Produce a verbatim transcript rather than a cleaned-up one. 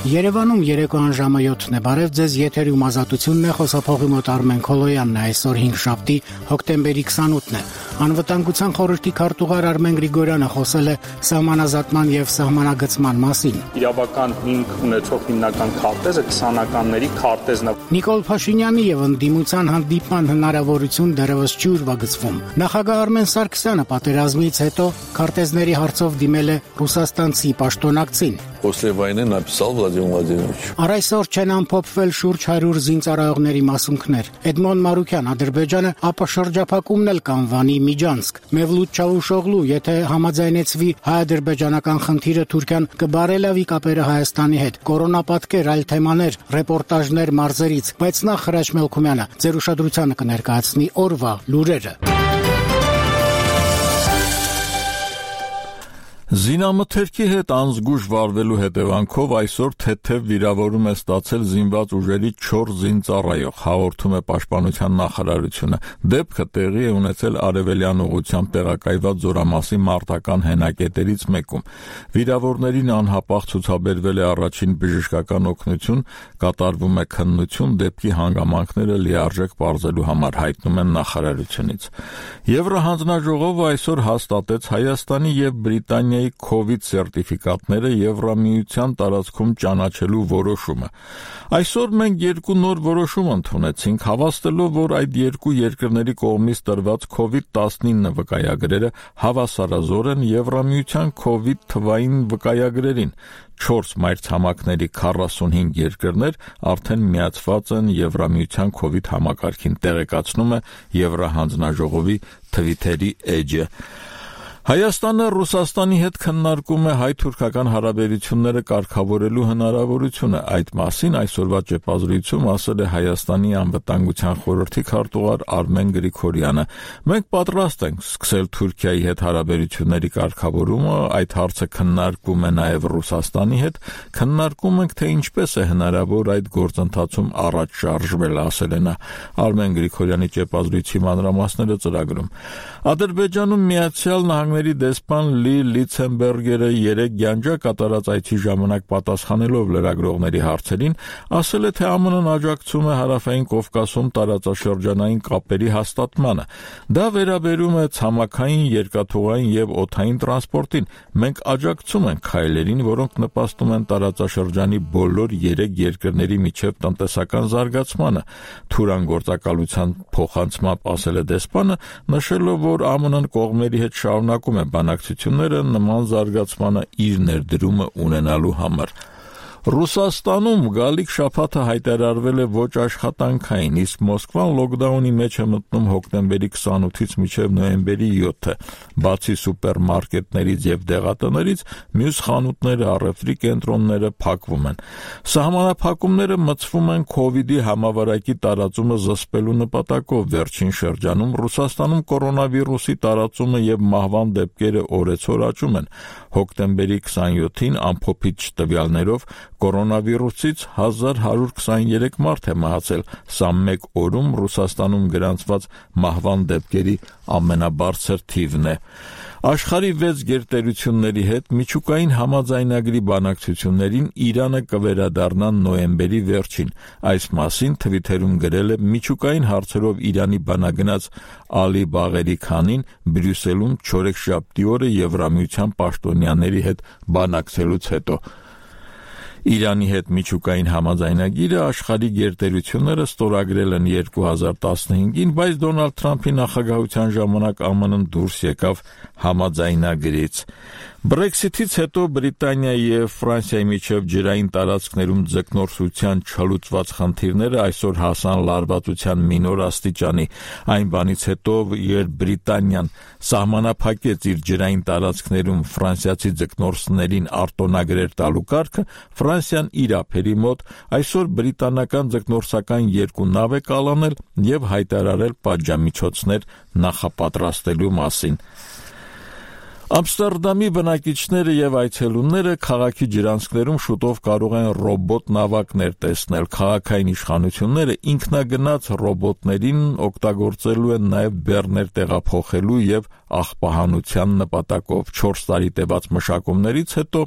Երևանում երեկոյան ժամը յոթն է, բարև ձեզ, եթերում ազատությունն է, խոսափողի մոտ Արմեն Քոլոյանն է, այսօր հինգշաբթի հոկտեմբերի քսանութն է։ Անվտանգության խորհրդի քարտուղար Արմեն Գրիգորյանը խոսել է սահմանազատման եւ սահմանագծման մասին։ Իրավական հիմք ունեցող հիմնական քարտեզը քսանականների քարտեզն է։ Նիկոլ Փաշինյանի եւ ընդդիմության հանդիպման հնարավորություն դեռևս չի ուրվագծվում։ Նախագահ Արմեն Սարգսյանը պատերազմից հետո քարտեզների հարցով դիմել է ռուսաստանցի պաշտոնակցին։ После войны написал Владимир Владимирович. Առ այսօր չեն ամփոփվել շուրջ հարյուր զինծառայողների մասունքներ։ Էդմոն Մարուկյան, Ադրբեջանը ապա շրջափակումն էլ կանվանի Միջանցք։ Մևլութ Չավուշօղլու, եթե համաձայնեցվի հայ-ադրբեջանական խնդիրը, Թուրքիան կբարելավի կապերը Հայաստանի հետ։ Կորոնապատկեր, այլ թեմաներ, ռեպորտաժներ մարզերից, բայց նախ Հրաչ Մելքումյանը ձեր ուշադրությանը կներկայացնի օրվա լուրերը։ Զինամթերքի հետ անզգույշ վարվելու հետևանքով այսօր թեթև վիրավորում է ստացել զինված ուժերի չորս զինծառայող, հաղորդում է Պաշտպանության նախարարությունը։ Դեպքը տեղի է ունեցել Արևելյան ուղղությամբ տեղակայված Զորամասի մարտական հենակետերից մեկում։ Վիրավորներին անհապաղ ցուցաբերվել է առաջին բժշկական օգնություն, կատարվում է քննություն, դեպքի հանգամանքները լիարժեք պարզելու համար, հայտնում են նախարարությունից։ Եվրահանձնաժողովը այսօր հաստատեց Հայաստանի եւ Բրիտանիայի COVID սերտիֆիկատները Եվրամիության տարածքում ճանաչելու որոշումը։ Այսօր մենք երկու նոր որոշում ընդունեցինք, հավաստելով, որ այդ երկու երկրների կողմից տրված COVID տասնինը վկայագրերը հավասարազոր են Եվրամիության COVID թվային վկայագրերին։ Չորս մայրցամաքների քառասունհինգ երկրներ արդեն միացված են Եվրամիության COVID համակարգին, տեղեկացնում է Եվրահանձնաժողովի Թվիտերի էջը։ Հայաստանը Ռուսաստանի հետ քննարկում է հայ-թուրքական հարաբերությունները կարգավորելու հնարավորությունը։ Այդ մասին այսօրվա ճեպազրույցում ասել է Հայաստանի անվտանգության խորհրդի քարտուղար Արմեն Գրիգորյանը։ Մենք պատրաստ ենք սկսել Թուրքիայի հետ հարաբերությունների կարգավորումը, այդ հարցը քննարկվում է նաև Ռուսաստանի հետ, քննարկում ենք, թե ինչպես է հնարավոր այդ գործընթացում առաջ շարժվել, ասել է նա։ Արմեն Գրիգորյանի ճեպազրույցի մանրամասները ծրագրում։ Ադրբեջանում Միացյալ Նահանգների դեսպան Լի Լիցենբերգերը երեկ գյանջա կատարած այցի ժամանակ պատասխանելով լրագրողների հարցերին ասել է, թե ԱՄՆ-ն աջակցում է Հարավային Կովկասում տարածաշրջանային կապերի հաստատմանը։ Դա վերաբերում է ցամաքային, երկաթուղային եւ օդային տրանսպորտին։ Մենք աջակցում ենք քայլերին, որոնք նպաստում են տարածաշրջանի բոլոր երեք երկրների միջև տնտեսական զարգացմանը։ Թուրան գործակալության փոխանցմամբ ասել է դեսպանը, նշելով, որ ԱՄՆ-ն կողմերի հետ շարունակում է բանակցությունները նման զարգացմանը իր ներդրումը ունենալու համար։ Ռուսաստանում գալիք շաբաթը հայտարարվել է ոչ աշխատանքային, իսկ Մոսկվան լոկդաունի մեջ է մտնում հոկտեմբերի քսանութից մինչև նոյեմբերի յոթը։ Բացի սուպերմարկետներից եւ դեղատներից, մյուս խանութները, առևտրի կենտրոնները փակվում են։ Սահմանափակումները մտցվում են COVID-ի համավարակի տարածումը զսպելու նպատակով։ Վերջին շրջանում Ռուսաստանում կորոնավիրուսի տարածումը եւ մահվան դեպքերը օրեցօր աճում են։ Հոկտեմբերի քսանյոթին ամփոփիչ տվյալներով կորոնավիրուսից հազար հարյուր քսաներեք մարդ է մահացել, սա մեկ օրում Ռուսաստանում գրանցված մահվան դեպքերի ամենաբարձր թիվն է։ Աշխարհի վեց գերտերությունների հետ միջուկային համաձայնագրի բանակցություններին Իրանը կվերադառնա նոյեմբերի վերջին։ Այս մասին Թվիտերում գրել է միջուկային հարցերով Իրանի բանագնաց Ալի Բաղերի Քանին Բրյուսելում չորեքշաբթի օրը Եվրամիության պաշտոնյաների հետ բանակցելուց հետո։ Իրանի հետ միջուկային համաձայնագիրը աշխարհի գերտերությունները ստորագրել են երկու հազար տասնհինգին, բայց Դոնալդ Թրամփի նախագահության ժամանակ ԱՄՆ-ն դուրս եկավ համաձայնագրից։ Բրեքսիթից հետո Բրիտանիայի եւ Ֆրանսիայի միջև ջրային տարածքներում ձկնորսության չլուծված խնդիրները այսօր հասան լարվածության մինոր աստիճանի։ Այն բանից հետո, երբ Բրիտանիան սահմանափակեց իր ջրային տարածքներում ֆրանսիացի ձկնորսներին արտոնագրեր տալու կարգը, Ֆրանսիան իր ափերի մոտ այսօր բրիտանական ձկնորսական երկու նավ է կալանել եւ հայտարարել պատժամիջոցներ նախապատրաստելու մասին։ Ամստերդամի բնակիչները եւ այցելուները քաղաքի ջրանցքներում շուտով կարող են ռոբոտ նավակներ տեսնել։ Քաղաքային իշխանությունները ինքնագնաց ռոբոտներին օգտագործելու են նաեւ բեռներ տեղափոխելու եւ աղբահանության նպատակով։ չորս տարի տևած մշակումներից հետո